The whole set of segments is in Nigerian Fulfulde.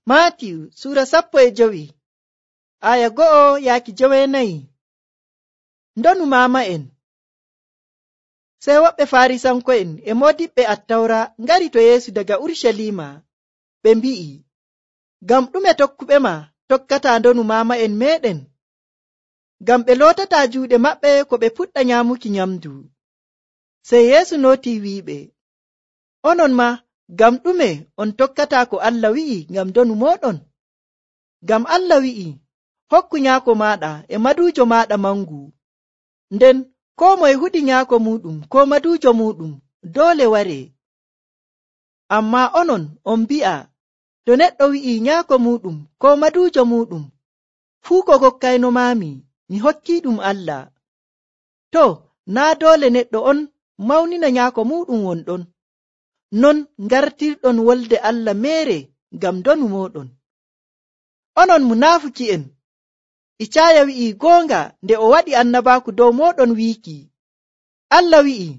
Maatiyu sura 15 aya 1 yaaki 9. Ndonu maama'en. Sey woɓɓe Faarisanko'en e moodiɓɓe Attawra ngari to Yeesu daga Urucaliima. Ɓe mbi'i, ngam ɗume tokkuɓe ma tokkataa ndonu maama'en meeɗen? Ngam ɓe lootataa juuɗe maɓɓe ko ɓe puɗɗa nyaamuki nyamdu. Sey Yeesu nootii wi'iɓe, onon ma ngam ɗume on tokkataa ko Allah wi'i ngam ndonu mooɗon? Ngam Allah wi'i, hokku nyaako maaɗa e maduujo maaɗa mangu. Nden koo moye huɗi nyaako muuɗum koo maduujo muuɗum doole waree. Ammaa onon on mbi'a, to neɗɗo wi'i nyaako muuɗum koo maduujo muuɗum, fuu ko kokkayno maami, mi hokkiiɗum Allah. To, naa doole neɗɗo on mawnina nyaako muuɗum wonɗon. Non ngartirɗon wolde Allah meere ngam ndonu mooɗon. Onon munaafuki'en! Icaaya wi'i goonga nde o waɗi annabaaku dow mooɗon wiiki, Allah wi'i,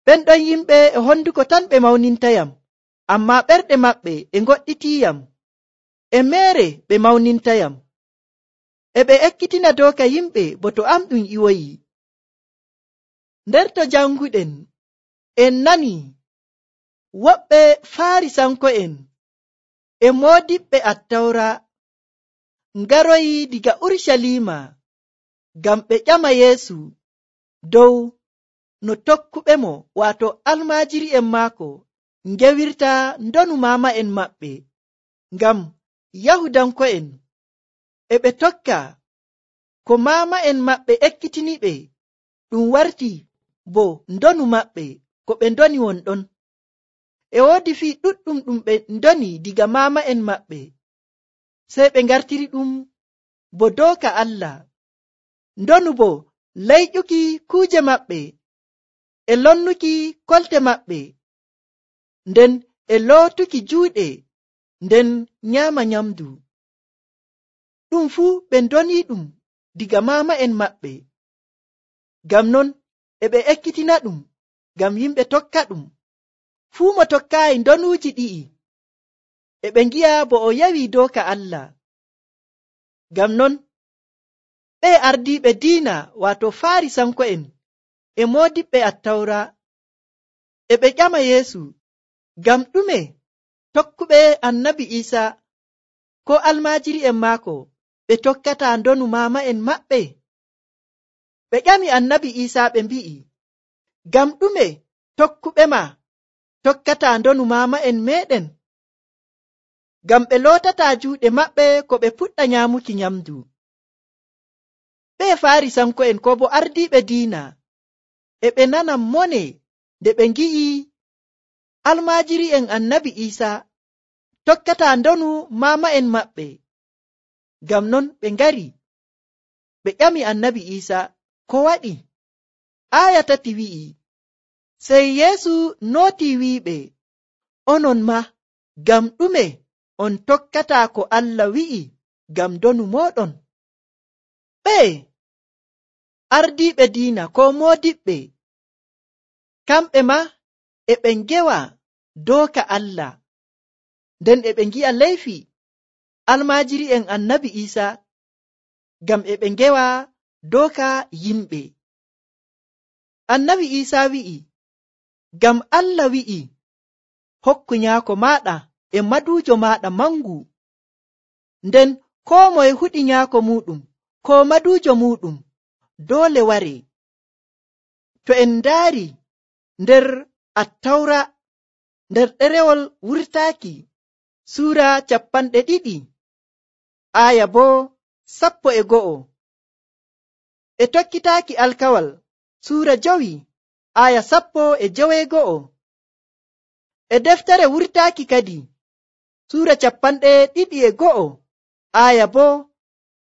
ɓen ɗon yimɓe e honduko tan ɓe mawnintayam, ammaa ɓerɗe maɓɓe e ngoɗɗitiiyam. E meere ɓe mawnintayam. E ɓe ekkitina dooka yimɓe bo to am ɗum iwoyi. Nder to janguɗen, en nani woɓɓe Faarisanko'en e moodiɓɓe Attawra ngaroyi diga Urucaliima ngam ɓe ƴama Yeesu dow no tokkuɓe mo waato almaajiri'en maako ngewirta ndonu maama'en maɓɓe. Ngam Yahudanko'en e ɓe tokka ko maama'en maɓɓe ekkitiniɓe ɗum warti bo ndonu maɓɓe ko ɓe ndoni wonɗon. E woodi fii ɗuɗɗum ɗum ɓe ndoni diga maama'en maɓɓe, sey ɓe ngartiri ɗum bo dooka Allah. Ndonu bo layƴuki kuuje maɓɓe e lonnuki kolte maɓɓe, nden e lootuki juuɗe, nden nyaama nyamdu. Ɗum fuu ɓe ndoni ɗum diga maama'en maɓɓe. Ngam non e ɓe ekkitina ɗum ngam yimɓe tokka ɗum. Fuu mo tokkaayi ndonuuji ɗi'i e ɓe ngi'a bo o yawi dooka Allah. Ngam non ɓe ardiiɓe diina waato Faarisanko'en e moodiɓɓe Attawra e ɓe ƴama Yeesu, ngam ɗume tokkuɓe Annabi Iisaa ko almaajiri'en maako ɓe tokkataa ndonu maama'en maɓɓe? Ɓe ƴami Annabi Iisaa ɓe mbi'i, ngam ɗume tokkuɓe ma tokkataa ndonu maama'en meeɗen? Ngam ɓe lootataa juuɗe maɓɓe ko ɓe puɗɗa nyaamuki nyamdu. Ɓe Faarisanko'en ko bo ardiiɓe diina e ɓe nana mone nde ɓe ngi'i almaajiri'en Annabi Iisaa tokkataa ndonu maama'en maɓɓe. Ngam non ɓe ngari ɓe ƴami Annabi Iisaa ko waɗi. Aya 3 wi'i, sey Yeesu nootii wi'iɓe, onon ma ngam ɗume on tokkataa ko Allah wi'i ngam ndonu mooɗon? Ɓe ardiiɓe diina ko moodiɓɓe, kamɓe ma e ɓe ngewa dooka Allah, nden e ɓe ngi'a leyfi almaajiri'en Annabi Iisaa ngam e ɓe ngewa dooka yimɓe. Annabi Iisaa wi'i, ngam Allah wi'i, hokku nyaako maaɗa e maduujo maaɗa mangu. Nden koo moye huɗi nyaako muuɗum koo maduujo muuɗum doole waree. To en ndaari nder Attawra, nder ɗerewol wurtaaki suura 20 aya boo 11, e tokkitaaki alkawal suura 5 aya 11, e deftere wurtaaki kadi suura 21 aya boo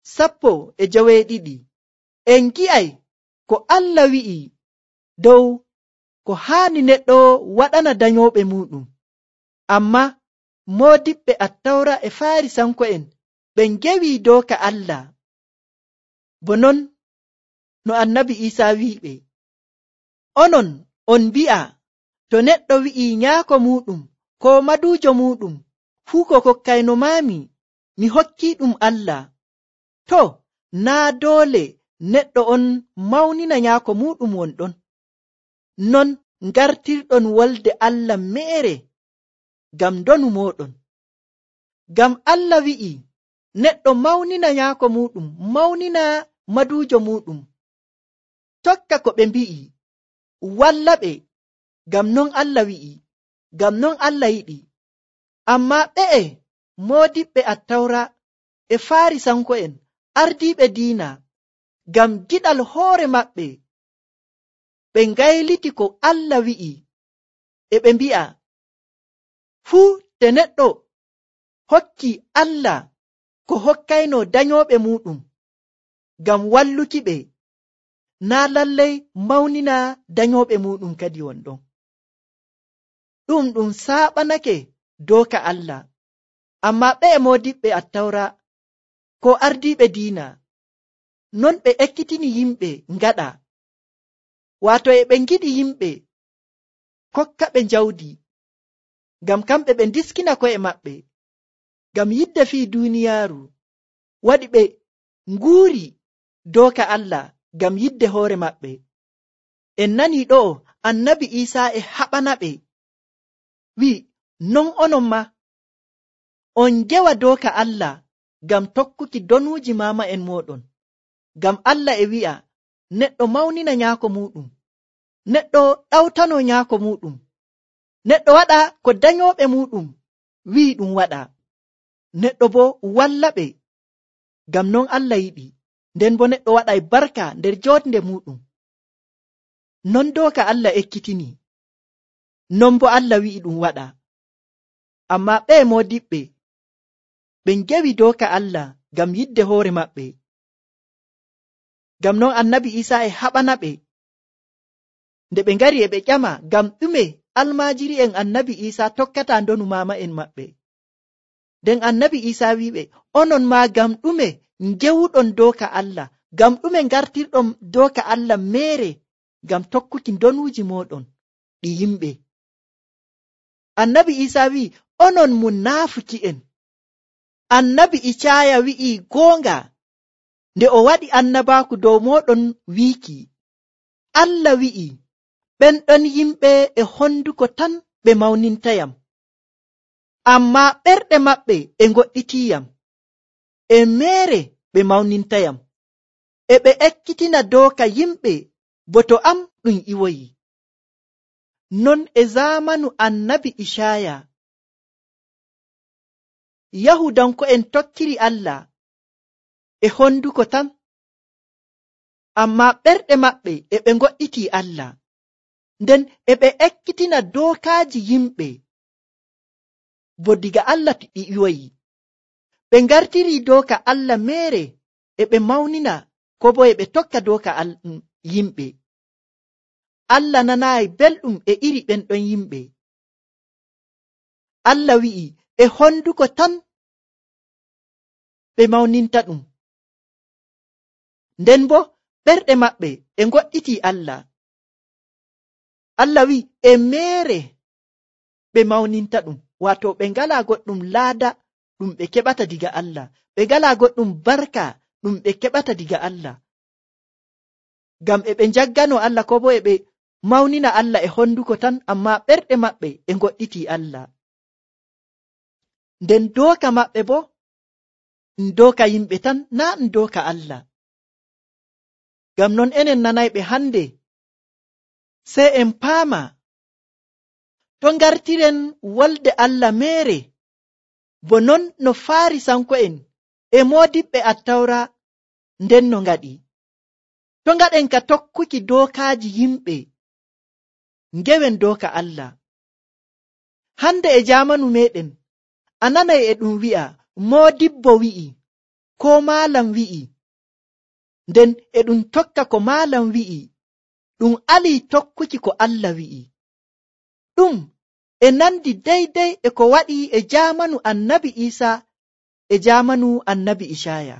12, en ngi'ay ko Allah wi'i dow ko haani neɗɗo waɗana danyooɓe muuɗum. Ammaa moodiɓɓe Attawra e Faarisanko'en ɓe ngewi dooka Allah. Bo non no Annabi Iisaa wi'iɓe, onon on mbi'a, to neɗɗo wi'i nyaako muuɗum koo maduujo muuɗum, fuu ko kokkayno maami, mi hokkii ɗum Allah, to naa doole neɗɗo on mawnina nyaako muɗum wonɗon. Non ngartirɗon wolde Allah meere ngam ndonu mooɗon. Ngam Allah wi'i neɗɗo mawnina nyaako muɗum, mawnina maduujo muɗum, tokka ko ɓe mbi'i, walla ɓe, ngam non Allah wi'i, ngam non Allah yiɗi. Ammaa ɓe'e moodiɓɓe Attawra e Faarisanko'en ardiiɓe diina, ngam giɗal hoore maɓɓe, ɓe ngayliti ko Allah wi'i, e ɓe mbi'a, fuu te neɗɗo hokki Allah ko hokkayno danyooɓe muɗum ngam walluki ɓe, naa lallay mawnina danyooɓe muɗum kadi wonɗon. Ɗum saaɓanake dooka Allah. Ammaa ɓe moodiɓɓe Attawra ko ardiiɓe diina, non ɓe ekkitini yimɓe ngaɗa, waato e ɓe ngiɗi yimɓe kokka ɓe jawdi, ngam kamɓe ɓe ndiskina ko'e maɓɓe, ngam yidde fii duuniyaaru waɗi ɓe nguuri dooka Allah ngam yidde hoore maɓɓe. En nanii ɗo'o Annabi Iisaa e haɓana ɓe, wi'i, non onon ma on ngewa dooka Allah ngam tokkuki donuuji maama'en mooɗon. Ngam Allah e wi'a neɗɗo mawnina nyaako muɗum, neɗɗo ɗawtano nyaako muɗum, neɗɗo waɗa ko danyooɓe muɗum wi'i ɗum waɗa, neɗɗo bo walla ɓe, ngam non Allah yiɗi, nden bo neɗɗo waɗay barka nder jootnde muɗum. Non dooka Allah ekkitini, non bo Allah wi'i ɗum waɗa. Ammaa ɓe moodiɓɓe ɓe ngewi dooka Allah ngam yidde hoore maɓɓe. Ngam non Annabi Iisaa e haɓana ɓe, nde ɓe ngari e ɓe ƴama ngam ɗume almaajiri'en Annabi Iisaa tokkata ndonu maama'en maɓɓe. Nden Annabi Iisaa wi'iɓe, onon maa ngam ɗume ngewuɗon dooka Allah, ngam ɗume ngartirɗon dooka Allah meere ngam tokkuki donuuji mooɗon ɗi yimɓe. Annabi Iisaa wi'i, onon munaafuki'en. Annabi Icaaya wi'i goonga nde o waɗi annabaaku dow mooɗon wiiki, Allah wi'i, ɓen ɗon yimɓe e honduko tan ɓe mawnintayam, ammaa ɓerɗe maɓɓe e ngoɗɗitiyam, e meere ɓe mawnintayam, e ɓe ekkitina dooka yimɓe bo to am ɗum iwoyi. Non e zamanu Annabi Icaaya, Yahudanko'en tokkiri Allah e honduko tan, ammaa ɓerɗe maɓɓe e ɓe ngoɗɗiti Allah, nden e ɓe ekkitina dookaaji yimɓe bo diga Allah ɗi iwoyi. Ɓe ngartiri dooka Allah meere e ɓe mawnina ko bo e ɓe tokka dooka yimɓe. Allah nanaayi belɗum e iri ɓen ɗon yimɓe. Allah wi'i e honduko tan ɓe mawninta ɗum, nden bo ɓerɗe maɓɓe e ngoɗɗiti Allah. Allah wi'i e meere ɓe mawninta ɗum, waato ɓe ngalaa goɗɗum laada ɗum ɓe keɓata diga Allah, ɓe ngalaa goɗɗum barka ɗum ɓe keɓata diga Allah, ngam e ɓe njaggano Allah ko bo e ɓe mawnina Allah e honduko tan, ammaa ɓerɗe maɓɓe e ngoɗɗiti Allah. Nden dooka maɓɓe bo ɗum dooka yimɓe tan, naa ɗum dooka Allah. Ngam non enen nanayɓe hande, sey en paama to ngartiren wolde Allah meere, bo non no Faarisanko'en e moodiɓɓe Attawra nden no ngaɗi. To ngaɗen ka tokkuki dookaaji yimɓe, ngewen dooka Allah. Hande e jaamanu meɗen, a nanay e ɗum wi'a moodibbo wi'i, ko maalam wi'i, nden e ɗum tokka ko maalam wi'i, ɗum alii tokkuki ko Allah wi'i. Ɗum e nandi daydey e ko waɗi e jaamanu Annabi Iisaa e jaamanu Annabi Icaaya.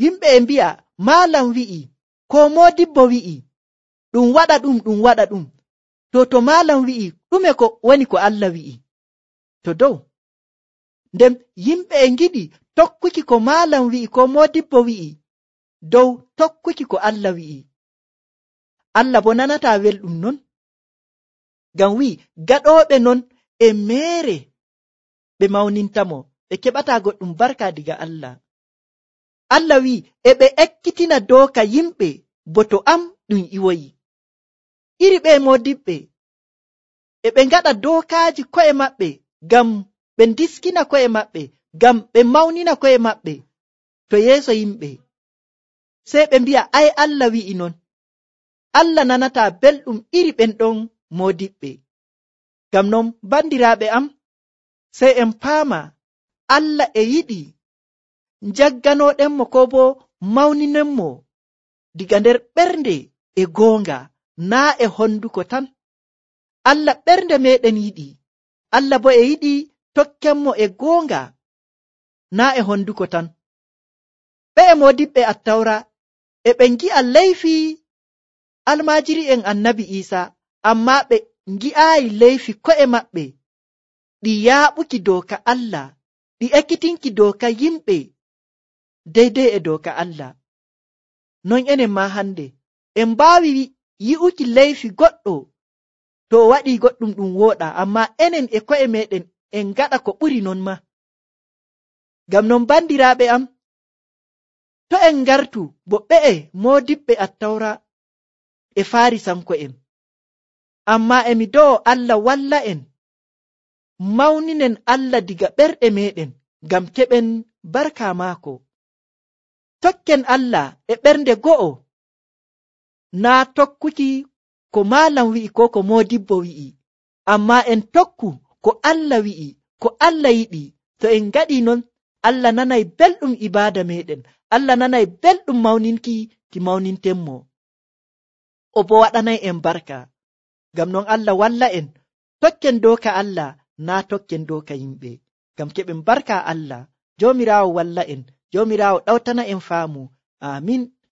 Yimɓe e mbi'a maalam wi'i, ko moodibbo wi'i, ɗum waɗa ɗum, ɗum waɗa ɗum. To maalam wi'i, ɗume ko woni ko Allah wi'i? To dow. nden yimɓe e ngiɗi tokkuki ko maalam wi'i ko modibbo wi'i dow tokkuki ko Allah wi'i. Allah bo nanataa welɗum non, ngam wi'i gaɗooɓe non e meere ɓe mawnintamo, ɓe keɓataa goɗɗum barka diga Allah. Allah wi'i e ɓe ekkitina dooka yimɓe bo to am ɗum iwoyi. Iri ɓe modibɓe e ɓe ngaɗa dookaaji ko'e maɓɓe ngam ɓe ndiskina ko'e maɓɓe, ngam ɓe mawnina ko'e maɓɓe to yeeso yimɓe. Sey ɓe mbi'a ai Allah wi'i non. Allah nanataa belɗum iri ɓen ɗon modiɓɓe. Ngam non bandiraaɓe am, sey en paama Allah e yiɗi njagganooɗenmo ko bo mawninenmo diga nder ɓernde e goonga, naa e honduko tan. Allah ɓernde meɗen yiɗi. Allah bo e yiɗi tokkenmo e goonga, naa e honduko tan. Ɓe e modiɓɓe Attawra e ɓe ngi'a leyfi almaajiri'en Annabi Iisa, ammaa ɓe ngi'aayi leyfi ko'e maɓɓe ɗi yaaɓuki dooka Allah, ɗi ekkitinki dooka yimɓe deydey e dooka Allah. Non enen ma hande en mbaawi yi'uki leyfi goɗɗo to o waɗi goɗɗum ɗum wooɗa, ammaa enen e ko'e meɗen en ngaɗa ko ɓuri non ma. Ngam non bandiraaɓe am, to en ngartu bo ɓe'e modiɓɓe Attawra e Faarisanko'en, ammaa emi do'o Allah walla en mawninen Allah diga ɓerɗe meɗen ngam keɓen barka maako. Tokken Allah e ɓernde go'o, naa tokkuki ko maalam wi'i ko ko modibbo wi'i, ammaa en tokku ko Allah wi'i, ko Allah yiɗi. To en ngaɗi non, Allah nanay belɗum ibaada meɗen, Allah nanay belɗum mawninki ki mawnintenmo, o bo waɗanay en barka. Ngam non Allah walla en tokken dooka Allah, naa tokken dooka yimɓe, ngam keɓen barka Allah. Joomiraawo walla en, Joomiraawo ɗawtana en faamu. Amin.